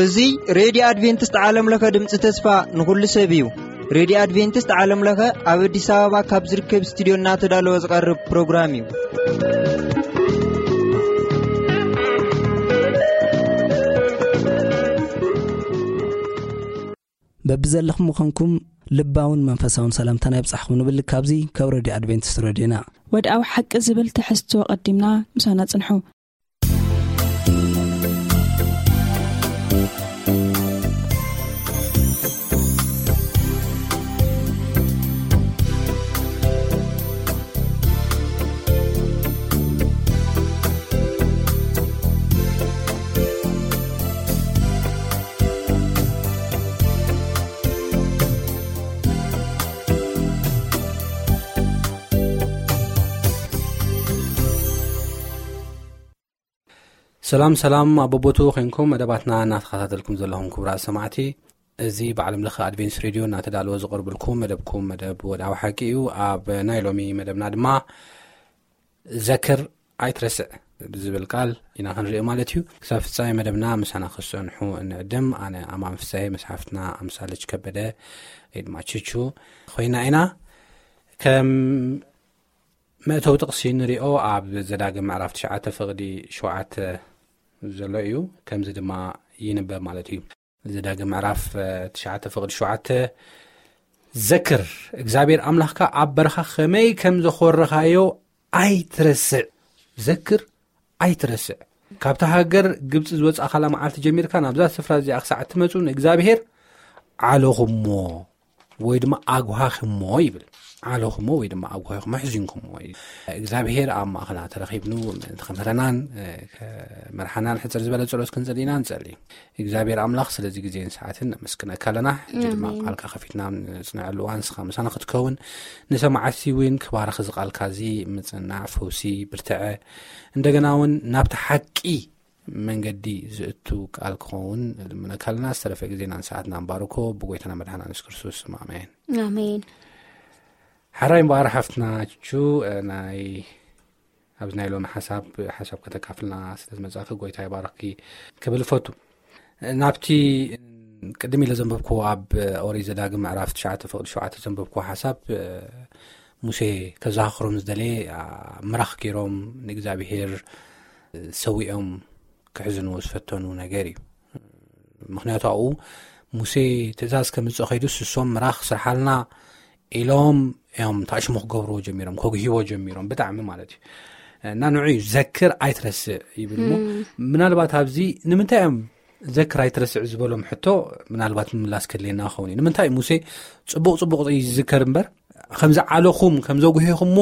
እዚ ሬድዮ ኣድቬንቲስት ዓለም ለኸ ድምፂ ተስፋ ንኹሉ ሰብ እዩ። ሬድዮ ኣድቬንቲስት ዓለም ለኸ ኣብ ኣዲስ ኣበባ ካብ ዝርከብ ስቱዲዮ እናተዳለወ ዝቐርብ ፕሮግራም እዩ። በብዘለኹም ምዃንኩም ልባውን መንፈሳውን ሰላምታና ይብጻሕኩም ንብል። ካብዚ ካብ ሬድዮ ኣድቬንቲስት ሬድዮና። ወድኣዊ ሓቂ ዝብል ትሕዝቶ ቀዲምና ምሳና ጽንሑ። ሰላም ሰላም፣ ኣብ ቦቦቱ ኮንኩም መደባትና እናተኸታተልኩም ዘለኹም ክቡራት ሰማዕቲ፣ እዚ ብዓለም ለኸ ኣድቬንስ ሬድዮ እናተዳለወ ዝቐርብልኩም መደብኩም መደብ ወድኣዊ ሓቂ እዩ። ኣብ ናይ ሎሚ መደብና ድማ ዘክር ኣይትረስዕ ብዝብል ቃል ኢና ክንርኢ ማለት እዩ። ክሳብ ፍጻሜ መደብና ምሳና ክጸንሑ እንዕድም። ኣነ ኣማን ፍሳሄ፣ መጽሓፍትና ኣምሳለች ከበደ ወይ ድማ ችቹ ኮይና ኢና። ከም መእተዊ ጥቕሲ ንሪኦ ኣብ ዘዳግም ምዕራፍ ትሽዓተ ፍቕዲ ሸውዓተ ዘሎ እዩ። ከምዚ ድማ ይንበብ ማለት እዩ። ዘዳግም ምዕራፍ ትሽዓተ ፍቕዲ ሸውዓተ፣ ዘክር እግዚኣብሔር ኣምላኽካ ኣብ በረኻ ከመይ ከም ዘኾረኻዮ ኣይትረስዕ። ዘክር ኣይትረስዕ። ካብታ ሃገር ግብፂ ዝወፃእኻላ መዓልቲ ጀሚርካ ናብዛ ስፍራ እዚኣ ክሳዕ እትመፁ ንእግዚኣብሔር ዓለኹሞ ወይ ድማ ኣጉሃኽሞ ይብል። ዓለኹሞ ወይ ድማ ኣጉሃኹሞ፣ ኣሕዚንኩሞ እዩ። እግዚኣብሔር ኣብ ማእኸልና ተረኺብኑ ምእንቲ ክምህረናን፣ እ፣ ከመርሓናን ሕፅር ዝበለ ጸሎት ክንጸሊ ኢና ንጸሊ። እግዚኣብሔር ኣምላኽ ስለዚ ግዜን ሰዓትን ነመስግነካ ኣለና። ሕጂ ድማ ኣሜን። ቃልካ ከፊትና ንጽንዐሉ እዋን ንስኻ ምሳና ክትከውን፣ ንሰማዕቲ እውን ክባርኽ እዚ ቃልካ እዚ ምጽናዕ፣ ፈውሲ፣ ብርትዐ፣ እንደገና እውን ናብቲ ሓቂ መንገዲ ዝእቱ ቃል ክኸውን ንልምነካ ኣለና። ዝተረፈ ግዜናን ሰዓትናን ባርኮ፣ ብጎይታና መድሓና የሱስ ክርስቶስ ስም ኣሜን። ኣሜን። ሓራይ እምበኣር ሓፍትና ቹ፣ እ፣ ናይ፣ ኣብዚ ናይ ሎሚ ሓሳብ፣ ሓሳብ ከተካፍልና ስለ ዝመጻእኪ ጎይታ ይባርኽኪ ክብል እፈቱ። ናብቲ ቅድም ኢለ ዘንበብክዎ ኣብ ኦሪት ዘዳግም ምዕራፍ ትሽዓተ ፍቕዲ ሸውዓተ ዘንበብክዎ ሓሳብ፣ እ፣ ሙሴ ከዘኻኽሮም ዝደለየ፣ ኣ፣ ምራኽ ገይሮም ንእግዚኣብሄር ሰዊኦም ክሕዝንዎ ዝፈተኑ ነገር እዩ። ምኽንያቱ ኣብኡ ሙሴ ትእዛዝ ከምጽእ ከይዱ ስሶም ምራኽ ስርሓልና ኢሎም እዮም ታሽሙ ክገብርዎ ጀሚሮም፣ ከጉህይዎ ጀሚሮም ብጣዕሚ ማለት እዩ። እና ንዑ እዩ ዘክር ኣይትረስዕ ይብል እሞ፣ ምናልባት ኣብዚ ንምንታይ እዮም ዘክር ኣይትረስዕ ዝበሎም ሕቶ ምናልባት ምምላስ ከድልየና ክኸውን እዩ። ንምንታይ ሙሴ ጽቡቕ ጽቡቕ እዩ ዝዝከር እምበር፣ ከምዚ ዓለኹም፣ ከምዚ ኣጉሄኹሞ፣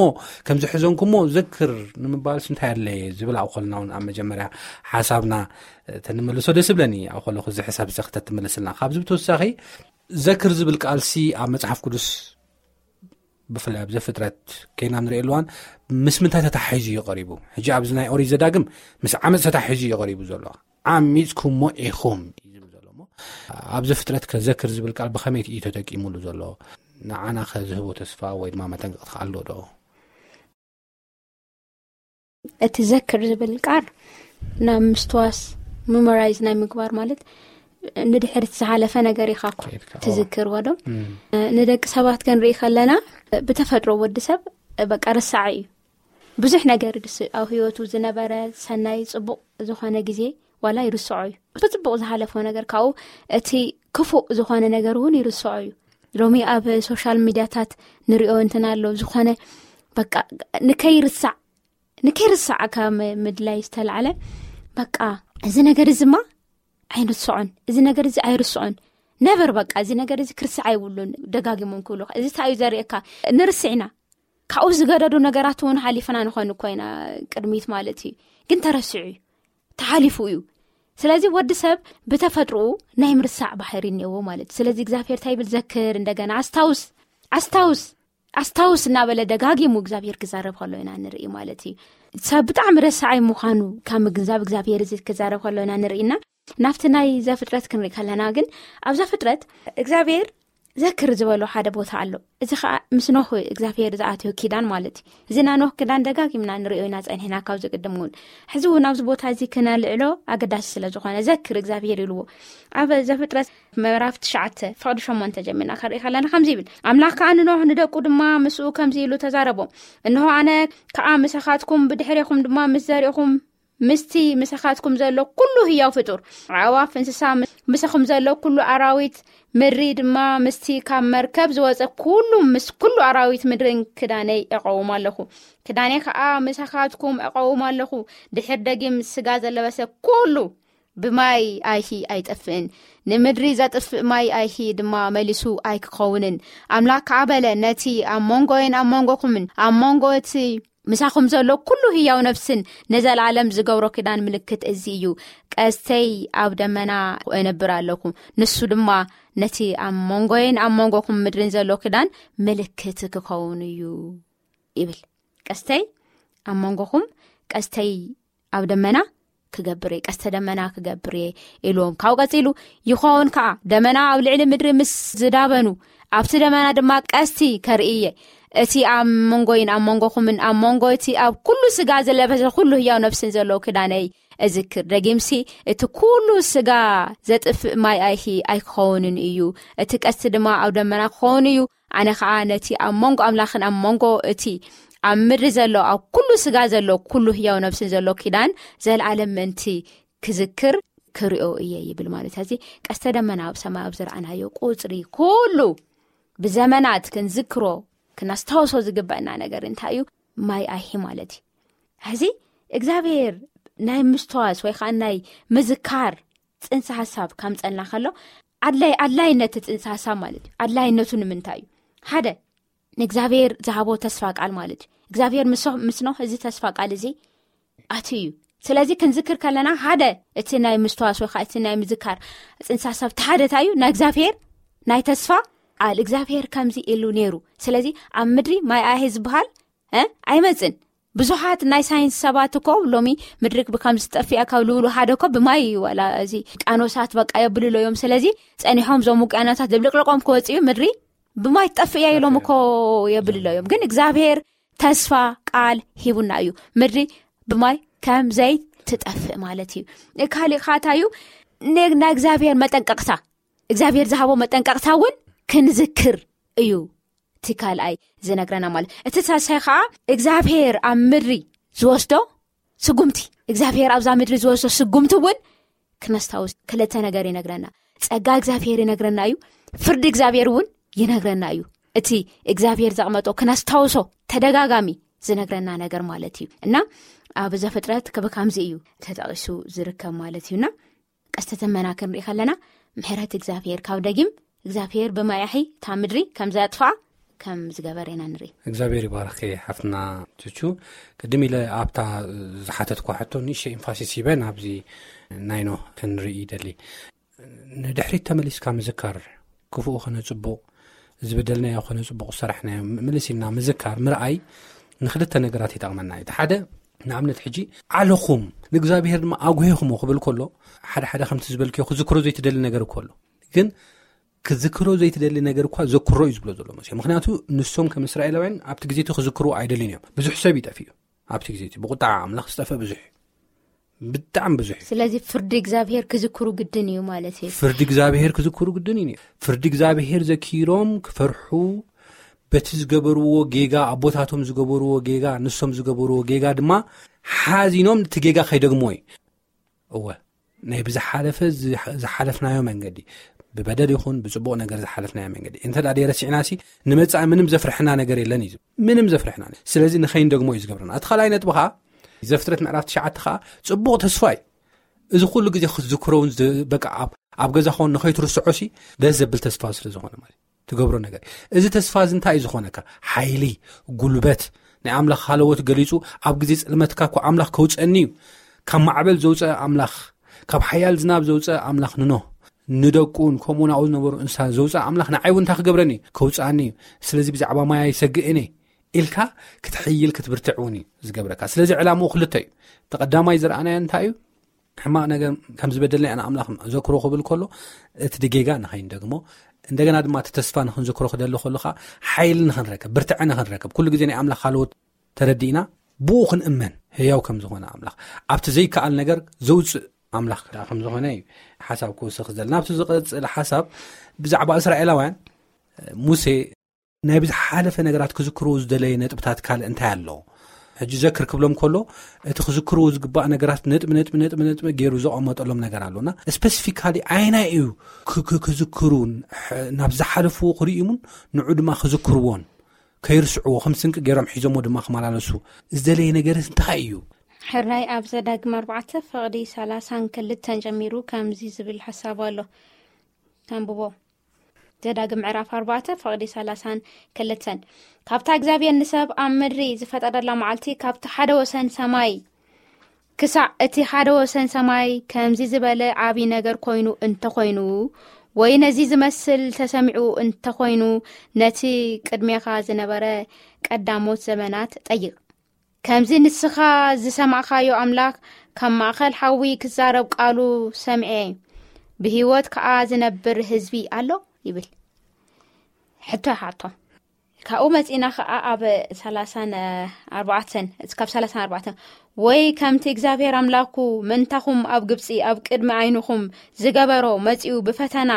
ከምዚ ሕዘንኩሞ ዘክር ንምባልስ እንታይ ኣድለየ ዝብል ኣብ ኾልና እውን ኣብ መጀመርያ ሓሳብና ተንመልሶ ደስ ይብለኒ። ኣብ ኾለኹ እዚ ሓሳብ እዚ ክተትምልስልና። ካብዚ ብተወሳኺ ዘክር ዝብል ቃልሲ ኣብ መጽሓፍ ቅዱስ ብፍላይ ኣብ ዘፍጥረት ከይና ንሪኦ ኣለዋን ምስ ምንታይ ተታሒዙ እዩ ቀሪቡ? ሕጂ ኣብዚ ናይ ኦሪት ዘዳግም ምስ ዓመፅ ተታሒዙ እዩ ቀሪቡ ዘሎ። ዓሚፅኩሞ ኢኹም እዩ ዝብል ዘሎ እሞ፣ ኣብዚ ፍጥረት ከዘክር ዝብል ቃል ብኸመይ እዩ ተጠቂሙሉ ዘሎ? ንዓና ከ ዝህቦ ተስፋ ወይ ድማ መጠንቀቕቲ ኣሎ ዶ? እቲ ዘክር ዝብል ቃል ናብ ምስትዋስ፣ ሚሞራይዝ ናይ ምግባር ማለት ንድሕሪት ዝሓለፈ ነገር ኢኻ እኮ ከይድካ፣ ኦ። ትዝክርዎ ዶ? እም። ንደቂ ሰባት ክንርኢ ከለና ብተፈጥሮ ወዲ ሰብ በቃ ረሳዒ እዩ። ብዙሕ ነገር ድስ ኣብ ህይወቱ ዝነበረ ሰናይ ጽቡቕ ዝኾነ ግዜ ዋላ ይርስዖ እዩ። እቲ ጽቡቕ ዝሓለፎ ነገር ካብኡ እቲ ክፉእ ዝኾነ ነገር እውን ይርስዖ እዩ። ሎሚ ኣብ ሶሻል ሚድያታት ንሪኦ እንትና ኣሎ ዝኾነ በቃ ንከይርሳዕ፣ ንከይርሳዕ ካብ ም-፣ ምድላይ ዝተላዕለ በቃ እዚ ነገር እዚማ ኣይንስዖን፣ እዚ ነገር እዚ ኣይርስዖን፣ ነበር በቃ እዚ ነገር እዚ ክርስዕ ኣይብሉን ደጋጊሞም ክብሉ። እዚ እንታይ እዩ ዘርእየካ? ንርስዕ ኢና። ካብኡ ዝገደዱ ነገራት እውን ሓሊፍና ንኾን እኮ ኢና ቅድሚት ማለት እዩ። ግን ተረሲዑ እዩ፣ ተሓሊፉ እዩ። ስለዚ ወዲ ሰብ ብተፈጥሮኡ ናይ ምርሳዕ ባህሪ እኒአዎ ማለት እዩ። ስለዚ እግዚኣብሔር እንታይ ይብል? ዘክር፣ እንደገና ኣስታውስ፣ ኣስታውስ፣ ኣስታውስ እናበለ ደጋጊሙ እግዚኣብሔር ክዛረብ ከሎ ኢና ንርኢ ማለት እዩ። ሰብ ብጣዕሚ ረሳዓይ ምዃኑ ካብ ምግንዛብ እግዚኣብሔር እዚ ክዛረብ ከሎ ኢና ንርኢና። ናብቲ ናይ ዘፍጥረት ክንርኢ ከለና ግን ኣብ ዘፍጥረት እግዚኣብሔር ዘክር ዝበሎ ሓደ ቦታ ኣሎ። እዚ ከዓ ምስ ኖህ እግዚኣብሔር ዝኣትዮ ኪዳን ማለት እዩ። እዚ ናይ ኖህ ኪዳን ደጋጊምና ንሪኦ ኢና ጸኒሕና፣ ካብዚ ቅድም እውን። ሕዚ እውን ኣብዚ ቦታ እዚ ክነልዕሎ ኣገዳሲ ስለ ዝኾነ፣ ዘክር እግዚኣብሔር ኢልዎ። ኣብ ዘፍጥረት ምዕራፍ ትሽዓተ ፍቕዲ ሸሞንተ ጀሚርና ክንርኢ ከለና ከምዚ ይብል፣ ኣምላኽ ከዓ ንኖህ ንደቁ ድማ ምስኡ ከምዚ ኢሉ ተዛረቦም፣ እንሆ ኣነ ከዓ ምሳኻትኩም፣ ብድሕሬኹም ድማ ምስ ዘርእኹም፣ ምስቲ ምሳኻትኩም ዘሎ ኩሉ ህያው ፍጡር፣ ኣዕዋፍ፣ እንስሳ፣ ምስ- ምሳኹም ዘሎ ኩሉ ኣራዊት ምድሪ ድማ፣ ምስቲ ካብ መርከብ ዝወፀ ኩሉ፣ ምስ ኩሉ ኣራዊት ምድርን ክዳነይ እቐውም ኣለኹ። ክዳነይ ከዓ ምሳኻትኩም እቐውም ኣለኹ። ድሕር ደጊም ስጋ ዘለበሰ ኩሉ ብማይ ኣይሂ ኣይጠፍእን፣ ንምድሪ ዘጥፍእ ማይ ኣይሂ ድማ መሊሱ ኣይክኸውንን። ኣምላኽ ከዓ በለ፣ ነቲ ኣብ መንጎይን ኣብ መንጎኹምን ኣብ መንጎ እቲ ምሳኹም ዘሎ ኩሉ ህያው ነፍስን ንዘለኣለም ዝገብሮ ኪዳን ምልክት እዚ እዩ። ቀስተይ ኣብ ደመና እነብር ኣለኹ፣ ንሱ ድማ ነቲ ኣብ መንጎይን ኣብ መንጎኹም ምድርን ዘሎ ኪዳን ምልክት ክኸውን እዩ ይብል። ቀስተይ ኣብ መንጎኹም፣ ቀስተይ ኣብ ደመና ክገብር እየ፣ ቀስተ ደመና ክገብር እየ ኢልዎም። ካብኡ ቀጺሉ፣ ይኸውን ከኣ፣ ደመና ኣብ ልዕሊ ምድሪ ምስ ዝዳበኑ፣ ኣብቲ ደመና ድማ ቀስቲ ከርኢ እየ። እቲ ኣብ መንጎይን ኣብ መንጎኹምን ኣብ መንጎ እቲ ኣብ ኩሉ ስጋ ዝለበሰ ኩሉ ህያው ነፍስን ዘለዎ ክዳነይ እዝክር። ደጊምሲ፣ እቲ ኩሉ ስጋ ዘጥፍእ ማይ ኣይሂ ኣይክኸውንን እዩ። እቲ ቀስቲ ድማ ኣብ ደመና ክኸውን እዩ። ኣነ ኸኣ ነቲ ኣብ መንጎ ኣምላኽን ኣብ መንጎ እቲ ኣብ ምድሪ ዘሎ፣ ኣብ ኩሉ ስጋ ዘሎ፣ ኩሉ ህያው ነፍስን ዘሎ ኪዳን፣ ዘልኣለም ምእንቲ ክዝክር ክሪኦ እየ ይብል ማለት እዩ። እዚ ቀስተ ደመና ኣብ ሰማይ ኣብ ዝረኣናዮ ቁጽሪ ኩሉ ብዘመናት ክንዝክሮ፣ ክነስታውሶ ዝግበአና ነገር እንታይ እዩ? ማይ ኣይሂ ማለት እዩ። ሕዚ እግዚኣብሔር ናይ ምስትዋስ ወይ ከዓ ናይ ምዝካር ጽንሰ ሓሳብ ካምጸልና ከሎ፣ ኣድላይ-፣ ኣድላይነት ጽንሰ ሓሳብ ማለት እዩ። ኣድላይነቱ ንምንታይ እዩ? ሓደ፣ ንእግዚኣብሔር ዝሃቦ ተስፋ ቃል ማለት እዩ። እግዚኣብሔር ምስ-፣ ምስ ኖህ እዚ ተስፋ ቃል እዚ ኣትዩ እዩ። ስለዚ ክንዝክር ከለና፣ ሓደ፣ እቲ ናይ ምስትዋስ ወይ ከዓ እቲ ናይ ምዝካር ጽንሰ ሓሳብ እቲ ሓደ እንታይ እዩ? ናይ እግዚኣብሔር ናይ ተስፋ ቃል። እግዚኣብሔር ከምዚ ኢሉ ነይሩ። ስለዚ ኣብ ምድሪ ማይ ኣይሂ ዝበሃል፣ እ፣ ኣይመጽን። ብዙሓት ናይ ሳይንስ ሰባት እኮ ሎሚ ምድሪ ብከምዚ ጠፊኣ ካብ ልብሉ ሓደ እኮ ብማይ እዩ። ዋላ እዚ ውቅያኖሳት በቃ የብልሎ እዮም። ስለዚ ጸኒሖም እዞም ውቅያኖሳት ድብልቅልቆም ክወጽእ እዩ፣ ምድሪ ብማይ ትጠፍእ እያ ኢሎም እኮ የብልሎ እዮም። ግን እግዚኣብሔር ተስፋ ቃል ሂቡና እዩ፣ ምድሪ ብማይ ከም ዘይትጠፍእ ማለት እዩ። ካሊእ ኻታ እዩ፣ ነ-፣ ናይ እግዚኣብሔር መጠንቀቕታ፣ እግዚኣብሔር ዝሃቦ መጠንቀቕታ እውን ክንዝክር እዩ። እቲ ካልኣይ ዝነግረና ማለት፣ እቲ ሳልሳይ ከዓ እግዚኣብሔር ኣብ ምድሪ ዝወስዶ ስጉምቲ፣ እግዚኣብሔር ኣብዛ ምድሪ ዝወስዶ ስጉምቲ እውን ክነስታውስ ክልተ ነገር ይነግረና። ጸጋ እግዚኣብሔር ይነግረና እዩ፣ ፍርዲ እግዚኣብሔር እውን ይነግረና እዩ። እቲ እግዚኣብሔር ዘቕመጦ ክነስታውሶ ተደጋጋሚ ዝነግረና ነገር ማለት እዩ። እና ኣብ ዘፍጥረት ክብ-፣ ከምዚ እዩ ተጠቒሱ ዝርከብ ማለት እዩና፣ ቀስተ ደመና ክንርኢ ከለና፣ ምሕረት እግዚኣብሔር ካብ ደጊም እግዚኣብሔር ብማይ ኣይሂ እታ ምድሪ ከም ዘጥፍኣ ከም ዝገበረ ኢና ንርኢ። እግዚኣብሔር ይባርኪ ሓፍትና ቹቹ። ቅድም ኢለ ኣብታ ዝሓተትኳ ሕቶ ንእሽተይ ኤምፋሲስ ሂበ ናብዚ ናይ ኖህ ክንርኢ ይደሊ። ንድሕሪት ተመሊስካ ምዝካር፣ ክፉኡ ኾነ ጽቡቕ፣ ዝበደልናዮ ኾነ ጽቡቕ ዝሰራሕናዮ ምልስ ኢልና ምዝካር፣ ምርኣይ ንኽልተ ነገራት ይጠቕመና እዩ። እቲ ሓደ፣ ንኣብነት ሕጂ፣ ዓለኹም ንእግዚኣብሔር ድማ ኣጉሄኹሞ ክብል ከሎ፣ ሓደ ሓደ ከምቲ ዝበልክዮ ክዝክሮ ዘይትደሊ ነገር እኮ ኣሎ። ግን ክዝክሮ ዘይትደሊ ነገር እኳ ዘክሮ እዩ ዝብሎ ዘሎ መሲሑ። ምኽንያቱ ንሶም ከም እስራኤላውያን ኣብቲ ግዜ እቲ ክዝክርዎ ኣይደልዩን እዮም። ብዙሕ ሰብ ይጠፍእ እዩ ኣብቲ ግዜ እቲ። ብቁጣዕ ኣምላኽ ዝጠፍእ ብዙሕ እዩ። ብጣዕሚ ብዙሕ እዩ። ስለዚ ፍርዲ እግዚኣብሔር ክዝክሩ ግድን እዩ ማለት እዩ። ፍርዲ እግዚኣብሔር ክዝክሩ ግድን እዩ። ፍርዲ እግዚኣብሔር ዘኪሮም ክፈርሑ፣ በቲ ዝገበርዎ ጌጋ፣ ኣቦታቶም ዝገበርዎ ጌጋ፣ ንሶም ዝገበርዎ ጌጋ ድማ ሓዚኖም እቲ ጌጋ ከይደግሞ እዩ። እወ፣ ናይ ብዝሓለፈ ዝሓ-፣ ዝሓለፍናዮ መንገዲ፣ ብበደል ይኹን ብጽቡቕ ነገር ዝሓለፍናዮ መንገዲ እንተ ደኣ ደይረሲዕናሲ፣ ንመጻኢ ምንም ዘፍርሕና ነገር የለን እዩ። ምንም ዘፍርሕና። ስለዚ ንኸይንደግሞ እዩ ዝገብረና። እቲ ካልኣይ ነጥቢ ኸኣ፣ ዘፍጥረት ምዕራፍ ትሽዓተ ኸኣ ጽቡቕ ተስፋ እዩ። እዚ ኩሉ ግዜ ክትዝክሮ እውን ዝ-፣ በቃ ኣብ፣ ኣብ ገዛ ኸውን ንኸይትርስዖሲ ደስ ዘብል ተስፋ ስለ ዝኾነ ማለት እዩ። ትገብሮ ነገር። እዚ ተስፋ እዚ እንታይ እዩ ዝኾነካ? ሓይሊ፣ ጉልበት፣ ናይ ኣምላኽ ሃለዎት ገሊጹ፣ ኣብ ግዜ ጽልመትካ እኮ ኣምላኽ ከውጸኒ እዩ። ካብ ማዕበል ዘውጸ ኣምላኽ፣ ካብ ሓያል ዝናብ ዘውጸ ኣምላኽ ንኖህ፣ ንደቁን ከምኡ ናብኡ ዝነበሩ እንስሳ ዘውጸ ኣምላኽ ንዓይ እውን እንታይ ክገብረኒ እዩ? ከውጽኣኒ እዩ። ስለዚ ብዛዕባ ማይ ኣይሰግእን እየ ኢልካ ክትሕይል ክትብርትዕ እውን እዩ ዝገብረካ። ስለዚ ዕላምኡ ክልተ እዩ። እቲ ቀዳማይ ዝረኣናዮ እንታይ እዩ? ሕማቕ ነገር ከም ዝበደልና ኢና ኣምላኽ ዘክሮ ክብል ከሎ፣ እቲ ድጌጋ ንኸይንደግሞ፣ እንደገና ድማ እቲ ተስፋ ንኽንዝክሮ ክደሊ ከሎ ከዓ ሓይሊ ንኽንረከብ፣ ብርትዐ ንኽንረከብ፣ ኩሉ ግዜ ናይ ኣምላኽ ካልኦት ተረዲእና ብኡ ክንእመን፣ ህያው ከም ዝኾነ ኣምላኽ፣ ኣብቲ ዘይከኣል ነገር ዘውፅእ ኣምላኽ ከዓ ከም ዝኾነ እዩ ሓሳብ ክውስኽ ዝደሊ። ናብቲ ዝቐፅል ሓሳብ ብዛዕባ እስራኤላውያን፣ ሙሴ ናይ ብዝሓለፈ ነገራት ክዝክርዎ ዝደለየ ነጥብታት ካልእ እንታይ ኣሎ? ሕጂ ዘክር ክብሎም ከሎ፣ እቲ ክዝክርዎ ዝግባእ ነገራት ነጥቢ፣ ነጥቢ፣ ነጥቢ፣ ነጥቢ ገይሩ ዘቐመጠሎም ነገር ኣሎና። ስፐሲፊካሊ ኣይናይ እዩ ክ-፣ ክ-፣ ክዝክሩን፣ ሕ-፣ ናብ ዝሓለፍዎ ክርእዩን፣ ንዑ ድማ ክዝክርዎን፣ ከይርስዕዎ፣ ከም ስንቂ ገይሮም ሒዞሞ ድማ ክመላለሱ ዝደለየ ነገር እንታይ እዩ? ሕራይ ኣብ ዘዳግም ኣርባዕተ ፍቕዲ ሰላሳን ክልተን ጀሚሩ ከምዚ ዝብል ሓሳብ ኣሎ። ተንብቦ። ዘዳግም ምዕራፍ ኣርባዕተ ፍቕዲ ሰላሳን ክልተን። ካብታ እግዚኣብሔር ንሰብ ኣብ ምድሪ ዝፈጠረላ መዓልቲ፣ ካብቲ ሓደ ወሰን ሰማይ ክሳዕ እቲ ሓደ ወሰን ሰማይ ከምዚ ዝበለ ዓቢ ነገር ኮይኑ እንተኾይኑ፣ ወይ ነዚ ዝመስል ተሰሚዑ እንተኾይኑ፣ ነቲ ቅድሜኻ ዝነበረ ቀዳሞት ዘመናት ጠይቕ። ከምዚ ንስኻ ዝሰማዕካዮ ኣምላኽ ካብ ማእከል ሓዊ ክዛረብ ቃሉ ሰምዔ፣ ብህይወት ከኣ ዝነብር ህዝቢ ኣሎ ይብል። ሕቶ ይሓቶም። ካብኡ መጺእና ከኣ ኣብ ሰላሳን ኣርባዕተን፣ ካብ ሰላሳን ኣርባዕተን፣ ወይ ከምቲ እግዚኣብሔር ኣምላኽኩ ምእንታኹም ኣብ ግብጺ ኣብ ቅድሚ ዓይንኹም ዝገበሮ መጺኡ ብፈተና፣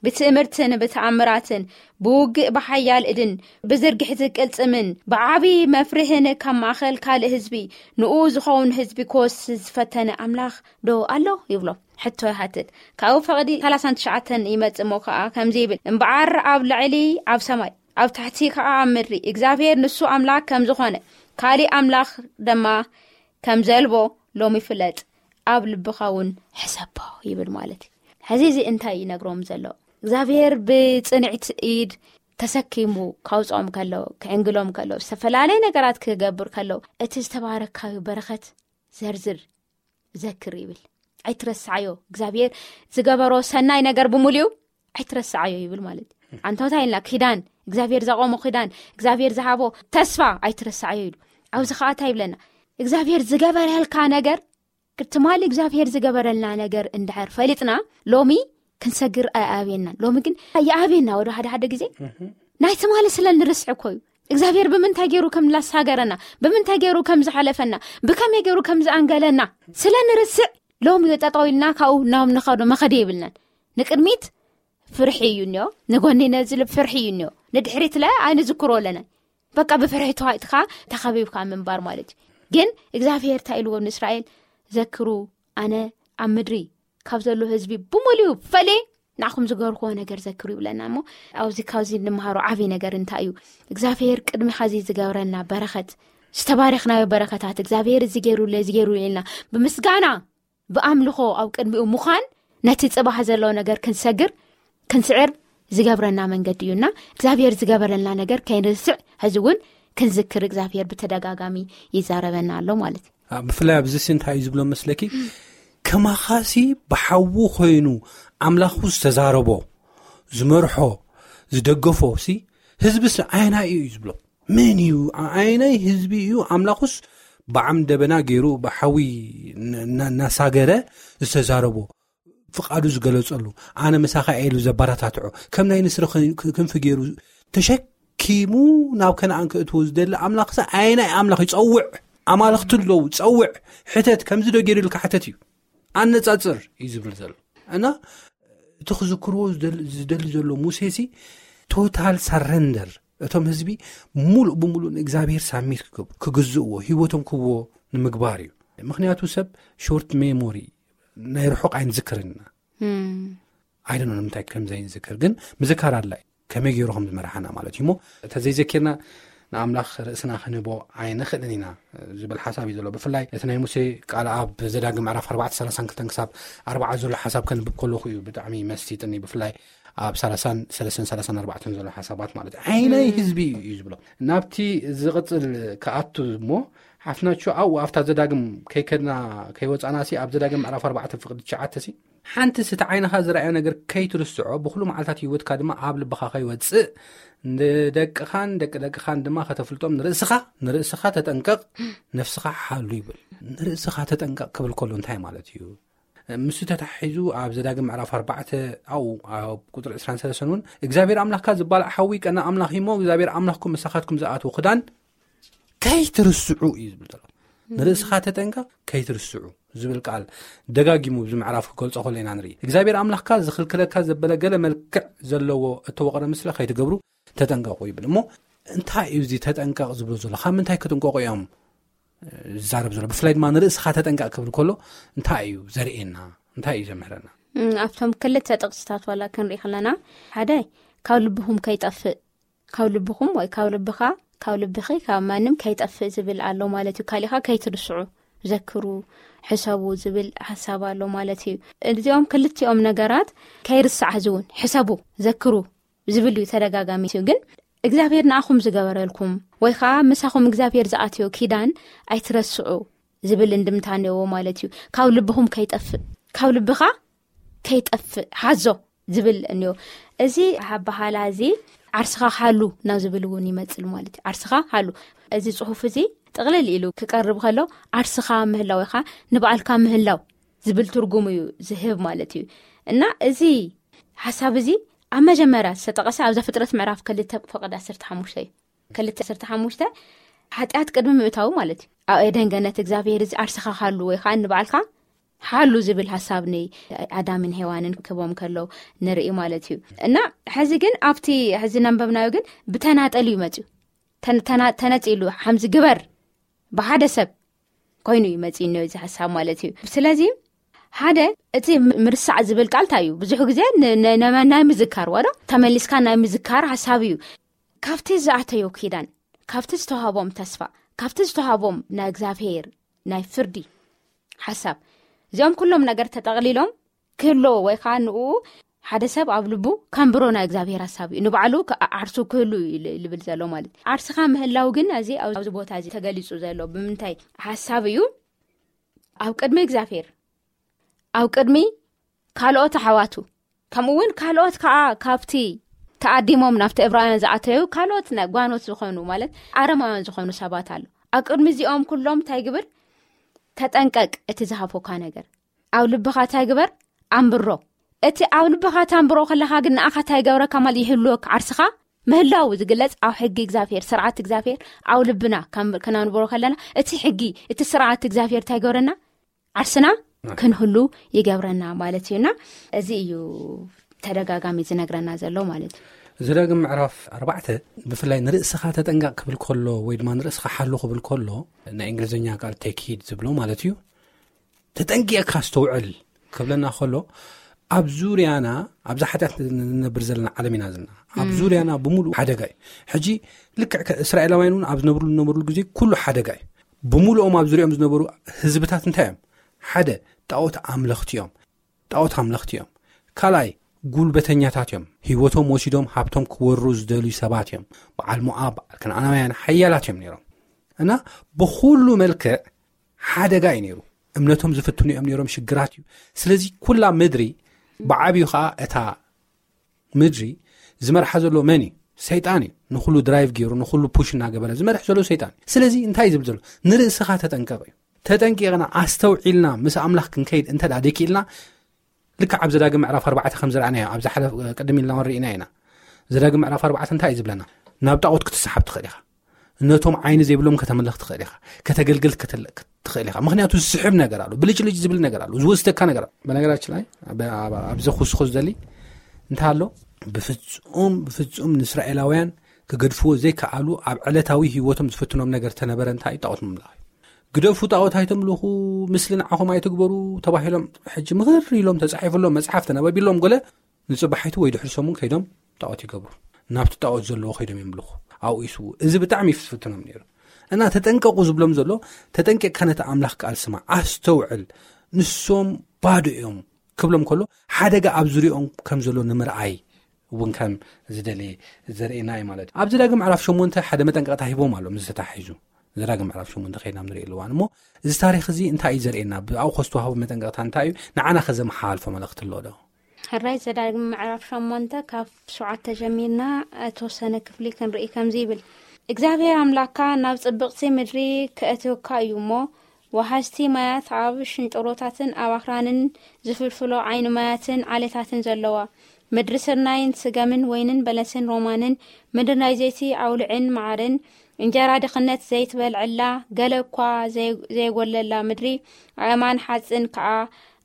ብትእምርትን ብተኣምራትን፣ ብውግእ ብሓያል እድን፣ ብዝርግሕቲ ቅልጽምን፣ ብዓቢ መፍርህን ካብ ማእከል ካልእ ህዝቢ ንኡ ዝኸውን ህዝቢ ክወስድ ዝፈተነ ኣምላኽ ዶ ኣሎ? ይብሎ። ሕቶ ይሓትት። ካብኡ ፈቕዲ ሰላሳን ትሽዓተን ይመጽእ እሞ ከኣ ከምዚ ይብል፣ እምበኣር ኣብ ላዕሊ ኣብ ሰማይ፣ ኣብ ታሕቲ ከኣ ኣብ ምድሪ እግዚኣብሔር ንሱ ኣምላኽ ከም ዝኾነ፣ ካልእ ኣምላኽ ድማ ከም ዘልቦ ሎሚ ፍለጥ፣ ኣብ ልብኻ እውን ሕሰቦ ይብል ማለት እዩ። ሕዚ እዚ እንታይ እዩ ይነግሮም ዘሎ? እግዚኣብሔር ብጽንዕቲ ኢድ ተሰኪሙ ካውጽኦም ከሎ፣ ክዕንግሎም ከሎ፣ ዝተፈላለየ ነገራት ክገብር ከሎ፣ እቲ ዝተባረካዩ በረኸት ዘርዝር፣ ዘክር ይብል። ኣይትረስዓዮ። እግዚኣብሔር ዝገበሮ ሰናይ ነገር ብምሉኡ ኣይትረስዓዮ ይብል ማለት እዩ። ኣንታ እንታይ ኢልና? ኪዳን፣ እግዚኣብሔር ዘቆሞ ኪዳን፣ እግዚኣብሔር ዝሃቦ ተስፋ ኣይትረስዓዮ ኢሉ። ኣብዚ ኸዓ እንታይ ይብለና? እግዚኣብሔር ዝገበረልካ ነገር፣ ትማሊ እግዚኣብሔር ዝገበረልና ነገር እንድሕር ፈሊጥና፣ ሎሚ ክንሰግር ኣይኣብየናን። ሎሚ ግን ይኣብየና። ወደ ሓደ ሓደ ግዜ ናይ ትማሊ ስለ ንርስዕ እኮ እዩ። እግዚኣብሔር ብምንታይ ገይሩ ከም ላሳገረና፣ ብምንታይ ገይሩ ከም ዝሓለፈና፣ ብከመይ ገይሩ ከም ዝኣንገለና ስለ ንርስዕ፣ ሎሚ ጠጠው ኢልና ካብኡ ናብ ንኸዶ መኸደ የብልናን። ንቅድሚት ፍርሒ እዩ እኒኦ፣ ንጎኒ ነዚ ፍርሒ እዩ እኒኦ፣ ንድሕሪት ለ ኣይንዝክሮ ኣለና። በቃ ብፍርሒ ተዋጢጥካ ተኸቢብካ ምንባር ማለት እዩ። ግን እግዚኣብሔር እንታይ ኢልዎ ንእስራኤል? ዘክሩ፣ ኣነ ኣብ ምድሪ ካብ ዘሎ ህዝቢ ብምሉኡ ፈልየ ንዓኹም ዝገርክዎ ነገር ዘክሩ ይብለና። እሞ ኣብዚ ካብዚ እንመሃሮ ዓብዪ ነገር እንታይ እዩ? እግዚኣብሔር ቅድሚ ኸዚ ዝገበረልና በረኸት፣ ዝተባረኽናዮ በረኸታት፣ እግዚኣብሔር እዚ ገይሩለ፣ እዚ ገይሩ ኢልና ብምስጋና፣ ብኣምልኾ ኣብ ቅድሚኡ ምዃን፣ ነቲ ጽባሕ ዘሎ ነገር ክንሰግር፣ ክንስዕር ዝገብረና መንገዲ እዩና፣ እግዚኣብሔር ዝገበረልና ነገር ከይንርስዕ፣ ሕዚ እውን ክንዝክር እግዚኣብሔር ብተደጋጋሚ ይዛረበና ኣሎ ማለት እዩ። አ፣ ብፍላይ ኣብዚ ሲ እንታይ እዩ ዝብሎ መስለኪ? ከማኻሲ ብሓዉ ኮይኑ ኣምላኹ ዝተዛረቦ፣ ዝመርሖ፣ ዝደገፎ ሲ ህዝቢ ሲ ኣየናይ እዩ ዝብሎ? መን እዩ? ኣ-፣ ኣየናይ ህዝቢ እዩ ኣምላኹስ ብዓም ደበና ገይሩ ብሓዊ ን-፣ ና-፣ እናሳገረ ዝተዛረቦ፣ ፍቓዱ ዝገለጸሉ፣ ኣነ ምሳኻ እየ ኢሉ ዘበረታትዖ፣ ከም ናይ ንስሪ ኽን-፣ ክ-፣ ክንፊ ገይሩ ተሸኪሙ ናብ ከነኣን ክእትዎ ዝደሊ ኣምላኽሰ ኣየናይ ኣምላኽ እዩ? ጸውዕ፣ ኣማልኽቲ ኣለዉ፣ ጸውዕ፣ ሕተት፣ ከምዚ ዶ ገይሩ ኢልካ ሕተት እዩ። ኣነጻጽር እዩ ዝብል ዘሎ። እና እቲ ክዝክርዎ ዝደል-፣ ዝደሊ ዘሎ ሙሴሲ ቶታል ሰረንደር፣ እቶም ህዝቢ ሙሉእ ብሙሉእ ንእግዚኣብሔር ሳሚት ክገብሩ፣ ክግዝእዎ፣ ህይወቶም ክህብዎ ንምግባር እዩ። ምኽንያቱ ሰብ ሾርት ሜሞሪ፣ ናይ ርሑቕ ኣይንዝክርን ኢና። እም። ኣይደኖ ንምንታይ ከም ዘይንዝክር ግን ምዝካር ኣድላይ፣ ከመይ ገይሩ ከም ዝመርሓና ማለት እዩ። እሞ እንተ ዘይዘኪርና ንኣምላኽ ርእስና ክንህቦ ኣይንኽእልን ኢና ዝብል ሓሳብ እዩ ዘሎ። ብፍላይ እቲ ናይ ሙሴ ቃል ኣብ ዘዳግም ምዕራፍ ኣርባዕተ ሰላሳን ክልተን ክሳብ ኣርባዓ ዘሎ ሓሳብ ከንብብ ከለኹ እዩ ብጣዕሚ መስጢጥኒ። ብፍላይ ኣብ ሰላሳን ሰለስተን ሰላሳን ኣርባዕተን ዘሎ ሓሳባት ማለት እዩ። ዓይናይ እም። ህዝቢ እዩ ዝብሎ። ናብቲ ዝቕጽል ክኣቱ እሞ ሓፍናቹ ኣብኡ ኣብታ ዘዳግም ከይከድና ከይወጻና ሲ ኣብ ዘዳግም ምዕራፍ ኣርባዕተ ፍቕዲ ትሽዓተ ሲ ሓንቲ ስቲ ዓይንኻ ዝረኣዮ ነገር ከይትርስዖ፣ ብኹሉ መዓልታት ህይወትካ ድማ ኣብ ልብኻ ከይወጽእ፣ ንደቅኻን ደቂ ደቅኻን ድማ ከተፍልጦም ንርእስኻ፣ ንርእስኻ ተጠንቀቕ፣ ነፍስኻ ሓሉ ይብል። ንርእስኻ ተጠንቀቕ ክብል ከሎ እንታይ ማለት እዩ? ምስ ተታሒዙ ኣብ ዘዳግም ምዕራፍ ኣርባዕተ ኣብኡ ኣብ ቁፅሪ ዕስራን ሰለስተን እውን እግዚኣብሔር ኣምላኽካ ዝበላዕ ሓዊ ቀና ኣምላኽ እሞ እግዚኣብሔር ኣምላኽኩም ምሳኻትኩም ዝኣትዎ ክዳን ከይትርስዑ እዩ ዝብል ዘሎ። ንርእስኻ ተጠንቀቕ ከይትርስዑ ዝብል ቃል ደጋጊሙ ኣብዚ ምዕራፍ ክገልጾ ከሎ ኢና ንርኢ። እግዚኣብሔር ኣምላኽካ ዝኽልክለካ ዘበለ ገለ መልክዕ ዘለዎ እተወቕረ ምስለ ከይትገብሩ ተጠንቀቑ ይብል። እሞ እንታይ እዩ እዚ ተጠንቀቕ ዝብሎ ዘሎ? ካብ ምንታይ ክጥንቀቑ እዮም ዝዛረብ ዘሎ? ብፍላይ ድማ ንርእስኻ ተጠንቀቕ ክብል ከሎ እንታይ እዩ ዘርእየና? እንታይ እዩ ዘምህረና? ኣብቶም ክልተ ጥቕስታት ዋላ ክንርኢ ከለና ሓደ ካብ ልብኹም ከይጠፍእ፣ ካብ ልብኹም ወይ ካብ ልብኻ፣ ካብ ልብኺ፣ ካብ ማንም ከይጠፍእ ዝብል ኣሎ ማለት እዩ። ካሊኻ ከይትርስዑ፣ ዘክሩ፣ ሕሰቡ ዝብል ሓሳብ ኣሎ ማለት እዩ። እዚኦም ክልቲኦም ነገራት ከይርሳዕ ሕዝውን ሕሰቡ፣ ዘክሩ ዝብል እዩ ተደጋጋሚ እዩ። ግን እግዚኣብሔር ንኣኹም ዝገበረልኩም ወይ ከዓ ምሳኹም እግዚኣብሔር ዝኣትዮ ኪዳን ኣይትረስዑ ዝብል እንድምታ እኒኦዎ ማለት እዩ። ካብ ልብኹም ከይጠፍእ፣ ካብ ልብኻ ከይጠፍእ ሓዞ ዝብል እኒኦ። እዚ ኣበሃላ እዚ ዓርስኻ ሃሉ ናብ ዝብል እውን ይመፅል ማለት እዩ። ዓርስኻ ሃሉ፣ እዚ ፅሑፍ እዚ ጥቕልል ኢሉ ክቀርብ ከሎ ዓርስኻ ምህላው ኢኻ ንበዓልካ ምህላው ዝብል ትርጉም እዩ ዝህብ ማለት እዩ። እና እዚ ሓሳብ እዚ ኣብ መጀመርያ ዝተጠቐሰ ኣብ ዘፍጥረት ምዕራፍ ክልተ ፈቐድ ዓሰርተ ሓሙሽተ እዩ። ክልተ ዓሰርተ ሓሙሽተ ሓጢኣት ቅድሚ ምእታው ማለት እዩ። ኣብ ኤደን ገነት እግዚኣብሔር እዚ ዓርስኻ ሃሉ ወይ ከዓ ንበዓልካ ሓሉ ዝብል ሓሳብ ንኣዳምን ሄዋንን ክቦም ከለው ንርኢ ማለት እዩ። እና ሕዚ ግን ኣብቲ ሕዚ ነንበብናዮ ግን ብተናጠል እዩ መፅዩ። ተን- ተና- ተነፂሉ ሓምዚ ግበር ብሓደ ሰብ ኮይኑ እዩ መፂኡ እዚ ሓሳብ ማለት እዩ። ስለዚ ሓደ እቲ ም- ምርሳዕ ዝብል ቃል እንታይ እዩ? ብዙሕ ግዜ ን- ን- ን- ናይ ምዝካር ዋዶ ተመሊስካ ናይ ምዝካር ሓሳብ እዩ። ካብቲ ዝኣተዮ ኪዳን፣ ካብቲ ዝተዋህቦም ተስፋ፣ ካብቲ ዝተዋህቦም ናይ እግዚኣብሔር ናይ ፍርዲ ሓሳብ፣ እዚኦም ኩሎም ነገር ተጠቕሊሎም ክህልዎ ወይ ከዓ ንኡ ሓደ ሰብ ኣብ ልቡ ከንብሮ ናይ እግዚኣብሔር ሓሳብ እዩ። ንባዕሉ ከ- ዓርሱ ክህሉ እዩ ል- ልብል ዘሎ ማለት እዩ። ዓርስኻ ምህላው ግን እዚ ኣብዚ ቦታ እዚ ተገሊጹ ዘሎ ብምንታይ ሓሳብ እዩ? ኣብ ቅድሚ እግዚኣብሔር፣ ኣብ ቅድሚ ካልኦት ኣሕዋቱ፣ ከምኡ እውን ካልኦት ከዓ ካብቲ ተኣዲሞም ናብቲ እብራውያን ዝኣተዩ ካልኦት ናይ ጓኖት ዝኾኑ ማለት ኣረማውያን ዝኾኑ ሰባት ኣሎ። ኣብ ቅድሚ እዚኦም ኩሎም እንታይ ግብር? ተጠንቀቅ። እቲ ዝሃፎካ ነገር ኣብ ልብኻ እንታይ ግበር? ኣንብሮ። እቲ ኣብ ልብኻ ታንብሮ ከለኻ ግን ንኣኻ እንታይ ይገብረካ ማለት ይህልወካ? ዓርስኻ ምህላው ዝግለጽ ኣብ ሕጊ እግዚኣብሔር፣ ስርዓት እግዚኣብሔር ኣብ ልብና ከም- ክነንብሮ ከለና እቲ ሕጊ፣ እቲ ስርዓት እግዚኣብሔር እንታይ ይገብረና? ዓርስና ክንህሉ ይገብረና ማለት እዩና፣ እዚ እዩ ተደጋጋሚ ዝነግረና ዘሎ ማለት እዩ። ዘዳግም ምዕራፍ ኣርባዕተ ብፍላይ ንርእስኻ ተጠንቀቕ ክብል ከሎ ወይ ድማ ንርእስኻ ሓሉ ክብል ከሎ ናይ እንግሊዝኛ ቃል take heed ዝብሎ ማለት እዩ። ተጠንቂቕካ ኣስተውዕል ክብለና ከሎ ኣብ ዙርያና ኣብዛ ሓጢኣት ንነብር ዘለና ዓለም ኢና ዘለና። ኣብ ዙርያና ብምሉእ ሓደጋ እዩ። ሕጂ ልክዕ ከ- እስራኤላውያን እውን ኣብ ዝነብርሉ ዝነበርሉ ግዜ ኩሉ ሓደጋ እዩ። ብምሉኦም ኣብ ዙሪኦም ዝነበሩ ህዝብታት እንታይ እዮም? ሓደ ጣዖት ኣምለኽቲ እዮም። ጣዖት ኣምለኽቲ እዮም። ካልኣይ ጉልበተኛታት እዮም። ህይወቶም ወሲዶም ሃብቶም ክወሩ ዝደልዩ ሰባት እዮም። በዓል ሞኣብ፣ በዓል ከነኣናውያን ሓያላት እዮም ነይሮም። እና ብኩሉ መልክዕ ሓደጋ እዩ ነይሩ። እምነቶም ዝፍትኑ እዮም ነይሮም። ሽግራት እዩ። ስለዚ ኩላ ምድሪ ብዓብዩ ከዓ እታ ምድሪ ዝመርሓ ዘሎ መን እዩ? ሰይጣን እዩ። ንኩሉ ድራይቭ ገይሩ ንኩሉ ፑሽ እናገበረ ዝመርሕ ዘሎ ሰይጣን እዩ። ስለዚ እንታይ እዩ ዝብል ዘሎ? ንርእስኻ ተጠንቀቕ እዩ። ተጠንቂቕና ኣስተውዒልና ምስ ኣምላኽ ክንከይድ እንተ ደኣ ደኪልና ልክዕ ኣብ ዘዳግም ምዕራፍ ኣርባዕተ ከም ዝረኣናዮ ኣብዛ ሓለፍ ቅድም ኢልና ርኢና ኢና። ዘዳግም ምዕራፍ ኣርባዕተ እንታይ እዩ ዝብለና? ናብ ጣዖት ክትሰሓብ ትኽእል ኢኻ። ነቶም ዓይኒ ዘይብሎም ከተምልኽ ትኽእል ኢኻ። ከተገልግል ክትል- ትኽእል ኢኻ። ምክንያቱ ዝስሕብ ነገር ኣሎ፣ ብልጭልጭ ዝብል ነገር ኣሎ፣ ዝወስደካ ነገር ኣሎ። በነገራችን ላይ ኣብ- ኣብ- ኣብዚ ክውስኹ ዝደሊ እንታይ ኣሎ? ብፍጹም ብፍጹም ንእስራኤላውያን ክገድፍዎ ዘይከኣሉ ኣብ ዕለታዊ ህይወቶም ዝፍትኖም ነገር ተነበረ እንታይ እዩ? ጣዖት ምምላኽ እዩ። ግደፉ፣ ጣዖት ኣይተምልኹ፣ ምስሊ ንዓኹም ኣይትግበሩ ተባሂሎም ሕጂ ምኽር ኢሎም ተጻሒፍሎም መጽሓፍ ተነበቢሎም ገለ ንጽባሒቱ ወይ ድሕሪ ሰሙን ከይዶም ጣዖት ይገብሩ። ናብቲ ጣዖት ዘለዎ ከይዶም የምልኹ፣ ኣብኡ ይስዉ። እዚ ብጣዕሚ እዩ ዝፍትኖም ነይሩ። እና ተጠንቀቑ ዝብሎም ዘሎ፣ ተጠንቂቕካ ነቲ ኣምላኽ ቃል ስማዕ፣ ኣስተውዕል። ንሶም ባዶ እዮም ክብሎም ከሎ ሓደጋ ኣብ ዙሪኦም ከም ዘሎ ንምርኣይ እውን ከም ዝደሊ ዘርእየና እዩ ማለት እዩ። ኣብዚ ዳግም ምዕራፍ ሸሞንተ ሓደ መጠንቀቕታ ሂቦም ኣሎ ምስ ዝተታሒዙ። እዚ ዳግም ምዕራፍ ሸሞንተ ከይድና ንርኢ ኣለዋን እሞ እዚ ታሪክ እዚ እንታይ እዩ ዘርእየና? ብኣው ከዝተዋህቡ መጠንቀቕታ እንታይ እዩ? ንዓና ከዘመሓላልፎ መልእኽቲ ኣሎ ዶ? ሕራይ ዘዳግም ምዕራፍ ሸሞንተ ካብ ሸውዓተ ጀሚርና እተወሰነ ክፍሊ ክንርኢ ከምዚ ይብል። እግዚኣብሔር ኣምላካ ናብ ጽብቕቲ ምድሪ ከእትወካ እዩ እሞ ወሓዝቲ ማያት ኣብ ሽንጥሮታትን ኣብ ኣኽራንን ዝፍልፍሎ ዓይኒ ማያትን ዓሌታትን ዘለዋ፣ ምድሪ ስርናይን ስገምን ወይንን በለስን ሮማንን፣ ምድሪ ናይ ዘይቲ ኣውልዕን መዓርን፣ እንጀራ ድኽነት ዘይትበልዐላ፣ ገለ እኳ ዘይ-፣ ዘይጎለላ ምድሪ፣ ኣእማን ሓጽን ከኣ፣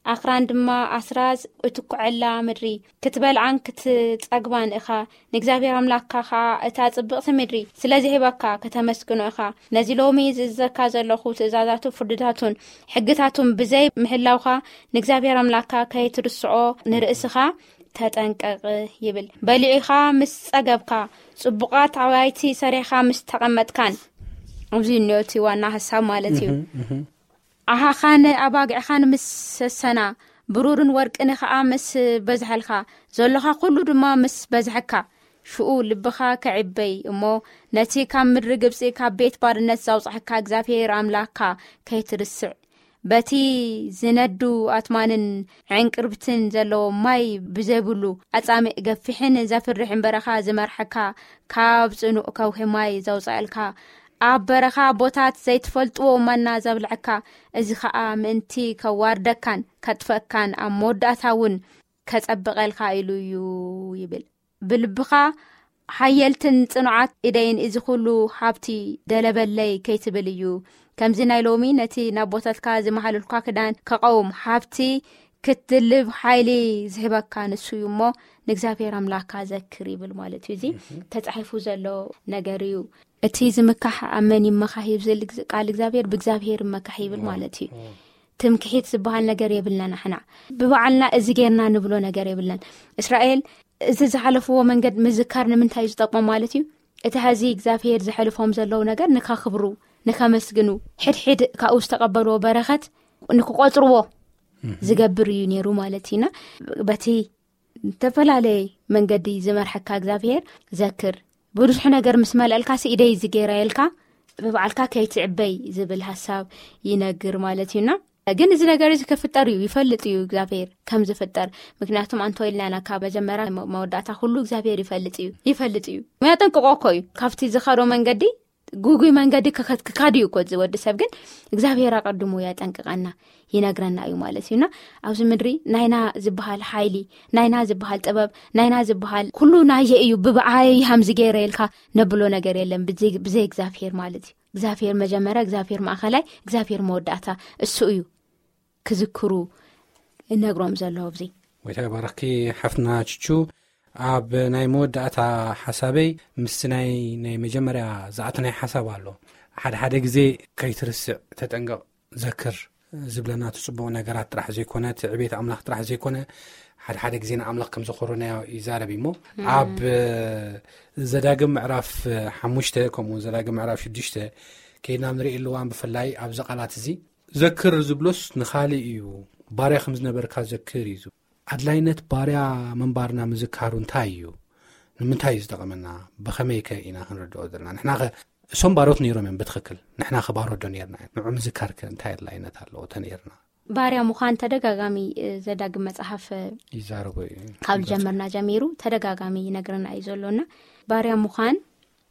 ኣኽራን ድማ ኣስራዝ እትኩዐላ ምድሪ፣ ክትበልዓን ክትጸግባን ኢኻ። ንእግዚኣብሔር ኣምላኽካ ኸኣ እታ ጽብቕቲ ምድሪ ስለ ዝህበካ ከተመስግኖ ኢኻ። ነዚ ሎሚ ዝእዘካ ዘለኹ ትእዛዛቱ፣ ፍርድታቱን ሕግታቱን ብዘይ ምህላውካ፣ ንእግዚኣብሔር ኣምላኽካ ከይትርስዖ ንርእስኻ ተጠንቀቕ ይብል። በሊዕኻ ምስ ጸገብካ፣ ጽቡቓት ኣባይቲ ሰሪሕኻ ምስ ተቐመጥካን፣ ኣብዚ እኒኦ እቲ ዋና ሐሳብ ማለት እዩ። ኣሃኻን ኣባግዕኻን ምስ ሰሰና፣ ብሩርን ወርቅን ኸኣ ምስ በዝሐልካ፣ ዘሎኻ ኩሉ ድማ ምስ በዝሐካ፣ ሽኡ ልብኻ ከዕበይ እሞ፣ ነቲ ካብ ምድሪ ግብጺ፣ ካብ ቤት ባርነት ዘውጻሕካ እግዚኣብሔር ኣምላኽካ ከይትርስዕ፣ በቲ ዝነዱ ኣትማንን ዕንቅርብትን ዘለዎ ማይ ብዘይብሉ ኣጻምእ ገፊሕን ዘፍርሕን በረኻ ዝመርሐካ፣ ካብ ጽኑዕ ከውሒ ማይ ዘውጻኣልካ፣ ኣብ በረኻ ኣቦታት ዘይትፈልጥዎ ማና ዘብልዐካ፣ እዚ ኸኣ ምእንቲ ከዋርደካን ከጥፈካን ኣብ መወዳእታ እውን ከጸብቐልካ ኢሉ እዩ ይብል። ብልብኻ ሓየልትን ጽኑዓት ኢደይን እዚ ኩሉ ሃብቲ ደለበለይ ከይትብል እዩ። ከምዚ ናይ ሎሚ ነቲ ናብ ቦታትካ ዝመሃለልኳ ክዳን ከቐውም ሃብቲ ክትድልብ ሓይሊ ዝህበካ ንሱ እዩ እሞ ንእግዚኣብሔር ኣምላኽካ ዘክር ይብል ማለት እዩ። እዚ ተጻሒፉ ዘሎ ነገር እዩ። እቲ ዝምካሕ ኣብ መን ይመካህ ይብል ቃል እግዚኣብሔር፣ ብእግዚኣብሔር ይመካህ ይብል ማለት እዩ። ትምክሒት ዝበሃል ነገር የብልና ንሕና። ብበዓልና እዚ ጌርና ንብሎ ነገር የብልናን። እስራኤል እዚ ዝሓለፍዎ መንገድ ምዝካር ንምንታይ እዩ ዝጠቅሞም ማለት እዩ? እቲ ሐዚ እግዚኣብሔር ዘሕልፎም ዘለዉ ነገር ንከኽብሩ፣ ንከመስግኑ፣ ሕድሕድ ካብኡ ዝተቐበልዎ በረኸት ንክቆጽርዎ ዝገብር እዩ ነይሩ ማለት እዩና። በቲ ዝተፈላለየ መንገዲ ዝመርሐካ እግዚኣብሔር ዘክር። ብዙሕ ነገር ምስ መልአልካ ሲ ኢደይ ዝጌራ ኢልካ ብበዓልካ ከይትዕበይ ዝብል ሐሳብ ይነግር ማለት እዩና። ግን እዚ ነገር እዚ ክፍጠር እዩ፣ ይፈልጥ እዩ እግዚኣብሔር ከም ዝፍጠር። ምክንያቱም ኣንቶ ኢልና ኢና ካብ መጀመርያ መ-፣ መወዳእታ ኩሉ እግዚኣብሔር ይፈልጥ እዩ፣ ይፈልጥ እዩ። ያጠንቅቆ እኮ እዩ። ካብቲ ዝኸዶ መንገዲ፣ ጉጉይ መንገዲ ክኸ-፣ ክካድ እዩ እኮ እዚ ወዲ ሰብ። ግን እግዚኣብሔር ኣቐድሙ ያጠንቅቀና፣ ይነግረና እዩ ማለት እዩና። ኣብዚ ምድሪ ናይና ዝበሃል ሓይሊ፣ ናይና ዝበሃል ጥበብ፣ ናይና ዝበሃል ኩሉ ናየ እዩ፣ ብበዓይ ሃምዚ ገይረ ኢልካ ነብሎ ነገር የለን ብዘይ፣ ብዘይ እግዚኣብሔር ማለት እዩ። እግዚኣብሔር መጀመርያ፣ እግዚኣብሔር ማእኸላይ፣ እግዚኣብሔር መወዳእታ እሱ እዩ ክዝክሩ እነግሮም ዘሎ ኣብዚ። ወይታ ባረኽኪ ሓፍትና ችቹ። ኣብ ናይ መወዳእታ ሓሳበይ ምስቲ ናይ፣ ናይ መጀመርያ ዝኣተናይ ሓሳብ ኣሎ። ሓደ ሓደ ግዜ ከይትርስዕ ተጠንቀቕ፣ ዘክር ዝብለና እቲ ጽቡቕ ነገራት ጥራሕ ዘይኮነ፣ እቲ ዕቤት ኣምላኽ ጥራሕ ዘይኮነ፣ ሓደ ሓደ ግዜ ንኣምላኽ ከም ዘኾረናዮ ይዛረብ እሞ፣ ኣብ ዘዳግም ምዕራፍ ሓሙሽተ ከምኡ እውን ዘዳግም ምዕራፍ ሽዱሽተ ከይድና ንርኢ ኣለዋን፣ ብፍላይ ኣብዚ ቃላት እዚ ዘክር ዝብሎስ ንኻልእ እዩ። ባርያ ከም ዝነበርካ ዘክር እዩ ዝብል። ኣድላይነት ባርያ ምንባርና ምዝካሩ እንታይ እዩ? ንምንታይ እዩ ዝጠቐመና? ብኸመይ ከ ኢና ክንርድኦ ዘለና? ንሕና ኸ፣ እሶም ባሮት ነይሮም እዮም ብትኽክል። ንሕና ኸ ባሮት ዶ ነይርና? ንዑ ምዝካር ከ እንታይ ኣድላይነት ኣለዎ ተነይርና? ባርያ ምዃን ተደጋጋሚ፣ እ፣ ዘዳግም መጽሓፍ፣ እ፣ ይዛረቦ እዩ። ካብ ዝጀመርና ጀሚሩ ተደጋጋሚ ይነግረና እዩ ዘሎና። ባርያ ምዃን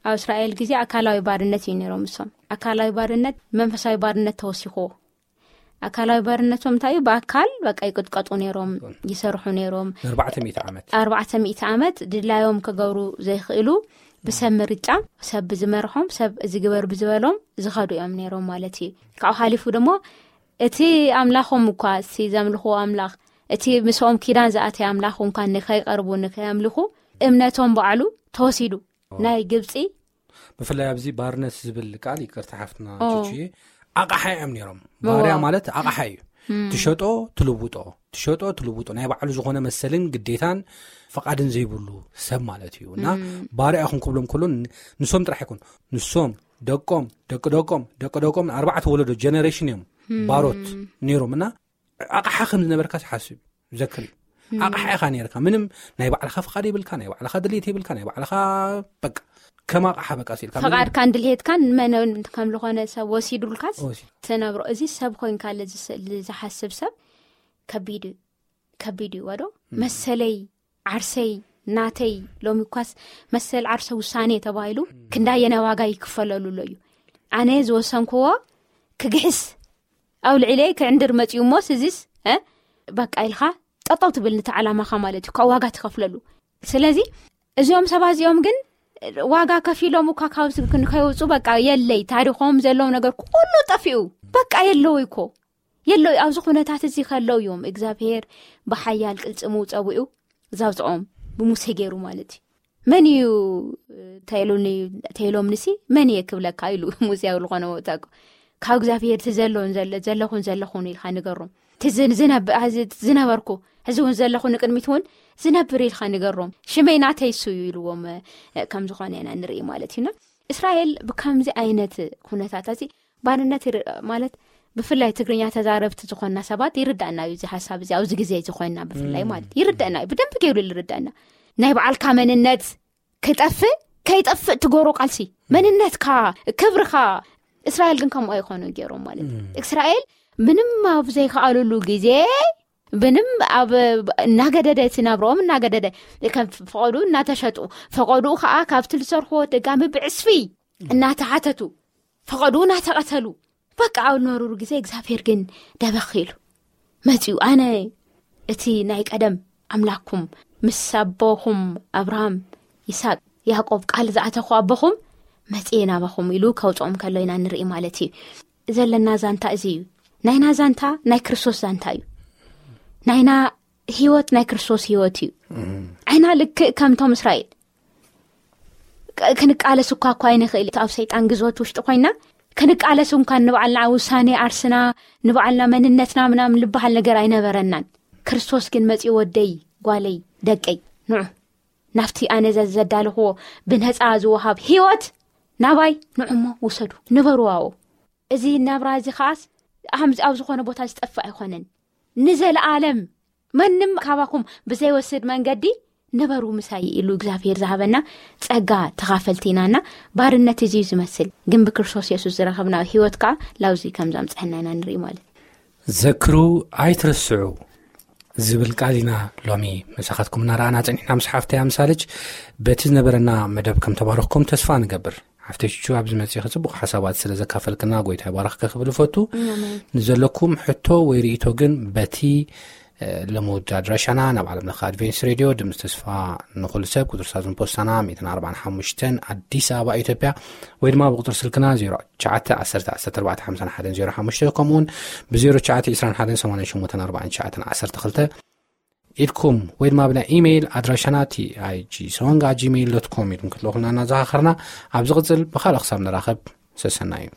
ኣብ እስራኤል ግዜ ኣካላዊ ባርነት እዩ ነይሮም እሶም። ኣካላዊ ባርነት መንፈሳዊ ባርነት ተወሲኽዎ። ኣካላዊ ባርነቶም እንታይ እዩ? ብኣካል በቃ ይቅጥቀጡ ነይሮም፣ ይሰርሑ ነይሮም። ንኣርባዕተ ሚእቲ ዓመት። ኣርባዕተ ሚእቲ ዓመት ድላዮም ክገብሩ ዘይኽእሉ፣ ብሰብ ምርጫ፣ ሰብ ብዝመርሖም፣ ሰብ እዚ ግበር ብዝበሎም ዝኸዱ እዮም ነይሮም ማለት እዩ። ካብኡ ሓሊፉ ደሞ እቲ ኣምላኾም እኳ፣ እቲ ዘምልኽዎ ኣምላኽ፣ እቲ ምስኦም ኪዳን ዝኣተየ ኣምላኽ እንኳን ንኸይቀርቡ፣ ንኸየምልኹ እምነቶም ባዕሉ ተወሲዱ። ናይ ግብጺ ብፍላይ ኣብዚ ባርነት ዝብል ቃል፣ ይቅርታ ሓፍትና ኦ። ቹቹዬ፣ ኣቕሓ እዮም ነይሮም። እዎ። ባርያ ማለት ኣቕሓ እዩ። እም። ትሸጦ፣ ትልውጦ፣ ትሸጦ፣ ትልውጦ። ናይ ባዕሉ ዝኾነ መሰልን ግዴታን ፍቓድን ዘይብሉ ሰብ ማለት እዩ። እና እም። ባርያ ኢኹም ክብሎም ከሎ ን-፣ ንሶም ጥራሕ ኣይኮን። ንሶም፣ ደቆም፣ ደቂ ደቆም፣ ደቂ ደቆም፣ ኣርባዕተ ወለዶ ጀነሬሽን እዮም እም። ባሮት ነይሮም። እና ኣቕሓ ከም ዝነበርካ ትሓስብ እዩ። ዘክር እዩ። እም። ኣቕሓ ኢኻ ነይርካ። ምንም ናይ ባዕልኻ ፍቓድ የብልካ፣ ናይ ባዕልኻ ድሌት የብልካ፣ ናይ ባዕልኻ በቃ ከም ኣቕሓ በቃ ሲልካ ምንም ፍቓድካን ድሌትካን መን ከም ዝኾነ ሰብ ወሲዱልካስ ወሲዱ። ትነብሮ። እዚ ሰብ ኮይንካ ለ-፣ ዝስ-፣ ዝሓስብ ሰብ ከቢድ እዩ። ከቢድ እዩ ወዶ። እም። መሰለይ፣ ዓርሰይ፣ ናተይ፣ ሎሚ እኳስ መሰል ዓርሰ ውሳኔ ተባሂሉ እም። ክንዳየናይ ዋጋ ይክፈለሉ ኣሎ እዩ። ኣነ ዝወሰንክዎ ክግሕስ ኣብ ልዕለይ ክዕንድር መፅዩ እሞ ስዚስ በቃ ኢልካ ጠጠው ትብል ነቲ ዓላማኻ ማለት እዩ፣ ካብ ዋጋ ትኸፍለሉ። ስለዚ እዚኦም ሰባት እዚኦም ግን ዋጋ ከፊሎም እኳ ካብ ስግን ከይወፁ በቃ የለይ፣ ታሪኾም ዘለዎም ነገር ኩሉ ጠፊኡ፣ በቃ የለውይ እኮ የለውይ። ኣብዚ ኩነታት እዚ ከለው እዮም እግዚኣብሔር ብሓያል ቅልፅሙ ፀዊዑ ዛውፅኦም ብሙሴ ገይሩ ማለት እዩ። መን እዩ ተይሉኒ ተይሎም ንሲ መን እየ ክብለካ ኢሉ ሙሴ ኣብ ዝኾነ ቦታ እኮ ካብ እግዚኣብሔር እቲ ዘሎን ዘለ ዘለኹን ዘለኹን ኢልካ ንገሮም። እቲ ዝ- ዝነብ- እዚ ዝነበርኩ ሕዚ እውን ዘለኹ ንቅድሚት እውን ዝነብር ኢልካ ንገሮም። ሽመይ ናተይ እሱ እዩ ኢልዎም ከም ዝኾነ ኢና ንርኢ ማለት እዩና። እስራኤል ብከምዚ ዓይነት ኩነታት እዚ ባርነት ይር- ማለት ብፍላይ ትግርኛ ተዛረብቲ ዝኾንና ሰባት ይርዳእና እዩ እዚ ሓሳብ እዚ ኣብዚ ግዜ እዚ ኮይንና ብፍላይ ማለት ይርዳእና እዩ፣ ብደንብ ገይሩ ይርዳእና። ናይ በዓልካ መንነት ክጠፍእ ከይጠፍእ ትገብሮ ቃልሲ መንነትካ ክብርካ። እስራኤል ግን ከምኡ ኣይኮኑ ገይሮም ማለት እዩ። እስራኤል ምንም ኣብ ዘይከኣሉሉ ግዜ ምንም ኣብ እናገደደ እቲ ናብረኦም እናገደደ ከም ፈቐዱ እናተሸጡ ፈቐዱ ከዓ ካብቲ ዝሰርሕዎ ደጋሚ ብዕስፊ እናተሓተቱ ፈቐዱ እናተቐተሉ በቃ ኣብ ዝነበሩሉ ግዜ እግዚኣብሔር ግን ደበኽ ኢሉ መፅኡ። ኣነ እቲ ናይ ቀደም ኣምላክኩም ምስ ኣቦኹም ኣብርሃም ይስሐቅ ያዕቆብ ቃል ዝኣተኹ ኣቦኹም መፅየ ናባኹም ኢሉ ከውፅኦም ከሎ ኢና ንርኢ ማለት እዩ። ዘለና ዛንታ እዚ እዩ። ናይና ዛንታ ናይ ክርስቶስ ዛንታ እዩ። ናይና ህይወት ናይ ክርስቶስ ህይወት እዩ። ዓይና ልክእ ከምቶም እስራኤል ክ- ክንቃለስ እኳ እኳ ኣይንኽእል። ኣብ ሰይጣን ግዝወት ውሽጢ ኮይና ክንቃለስ እንኳን ንባዕልና ውሳኔ ኣርስና ንባዕልና መንነትና ምናምን ልበሃል ነገር ኣይነበረናን። ክርስቶስ ግን መፂኡ ወደይ ጓለይ ደቀይ ንዑ ናብቲ ኣነ ዘ- ዘዳለኽዎ ብነፃ ዝወሃብ ህይወት ናባይ ንዑሞ ውሰዱ ንበሩ ኣብኡ። እዚ ናብራ እዚ ከዓስ ኣም- ኣብ ዝኾነ ቦታ ዝጠፍእ ኣይኮነን። ንዘለኣለም ማንም ካባኩም ብዘይወስድ መንገዲ ንበሩ ምሳይ ኢሉ እግዚኣብሔር ዝሃበና ጸጋ ተኻፈልቲ ኢናና። ባርነት እዚ እዩ ዝመስል፣ ግን ብክርስቶስ የሱስ ዝረኸብና ህይወት ከዓ ላውዚ ከም ዘምፀሐና ኢና ንርኢ ማለት። ዘክሩ ኣይትረስዑ ዝብል ቃል ኢና ሎሚ መሳኻትኩም እናረኣና ጸኒሕና። ምስ ሓፍተይ ኣምሳልች በቲ ዝነበረና መደብ ከም ተባረኽኩም ተስፋ ንገብር። ሓፍተይ ቹቹ ኣብዚ መጺኺ ጽቡቕ ሓሳባት ስለ ዘካፈልክና ጎይታ ይባርኽኪ ክብል እፈቱ። ንዘለኩም ሕቶ ወይ ርእይቶ ግን በቲ ልሙድ ኣድራሻና ናብ ዓለም ለኸ ኣድቬንስ ሬድዮ ድምፂ ተስፋ ንኹሉ ሰብ ቁፅሪ ሳዝን ፖስታና ሚእትን ኣርባዓን ሓሙሽተን ኣዲስ ኣበባ ኢትዮጵያ ወይ ድማ ብቁፅሪ ስልክና ዜሮ ትሽዓተ ዓሰርተ ዓሰርተ ኣርባዕተ ሓምሳን ሓደን ዜሮ ሓሙሽተ ከምኡውን ብ ዜሮ ትሽዓተ ዕስራን ሓደን ሰማንያን ሸሞንተን ኣርባዕን ትሽዓተን ዓሰርተ ክልተ ኢድኩም ወይ ድማ ብናይ ኢሜይል ኣድራሻና ቲ ኣይ ጂ ሶንግ ኣት ጂሜይል ዶት ኮም ኢድኩም ክትልእኹልና እናዘኻኸርና ኣብ ዝቕፅል ብኻልእ ክሳብ ንራኸብ ሰሰና እዩ።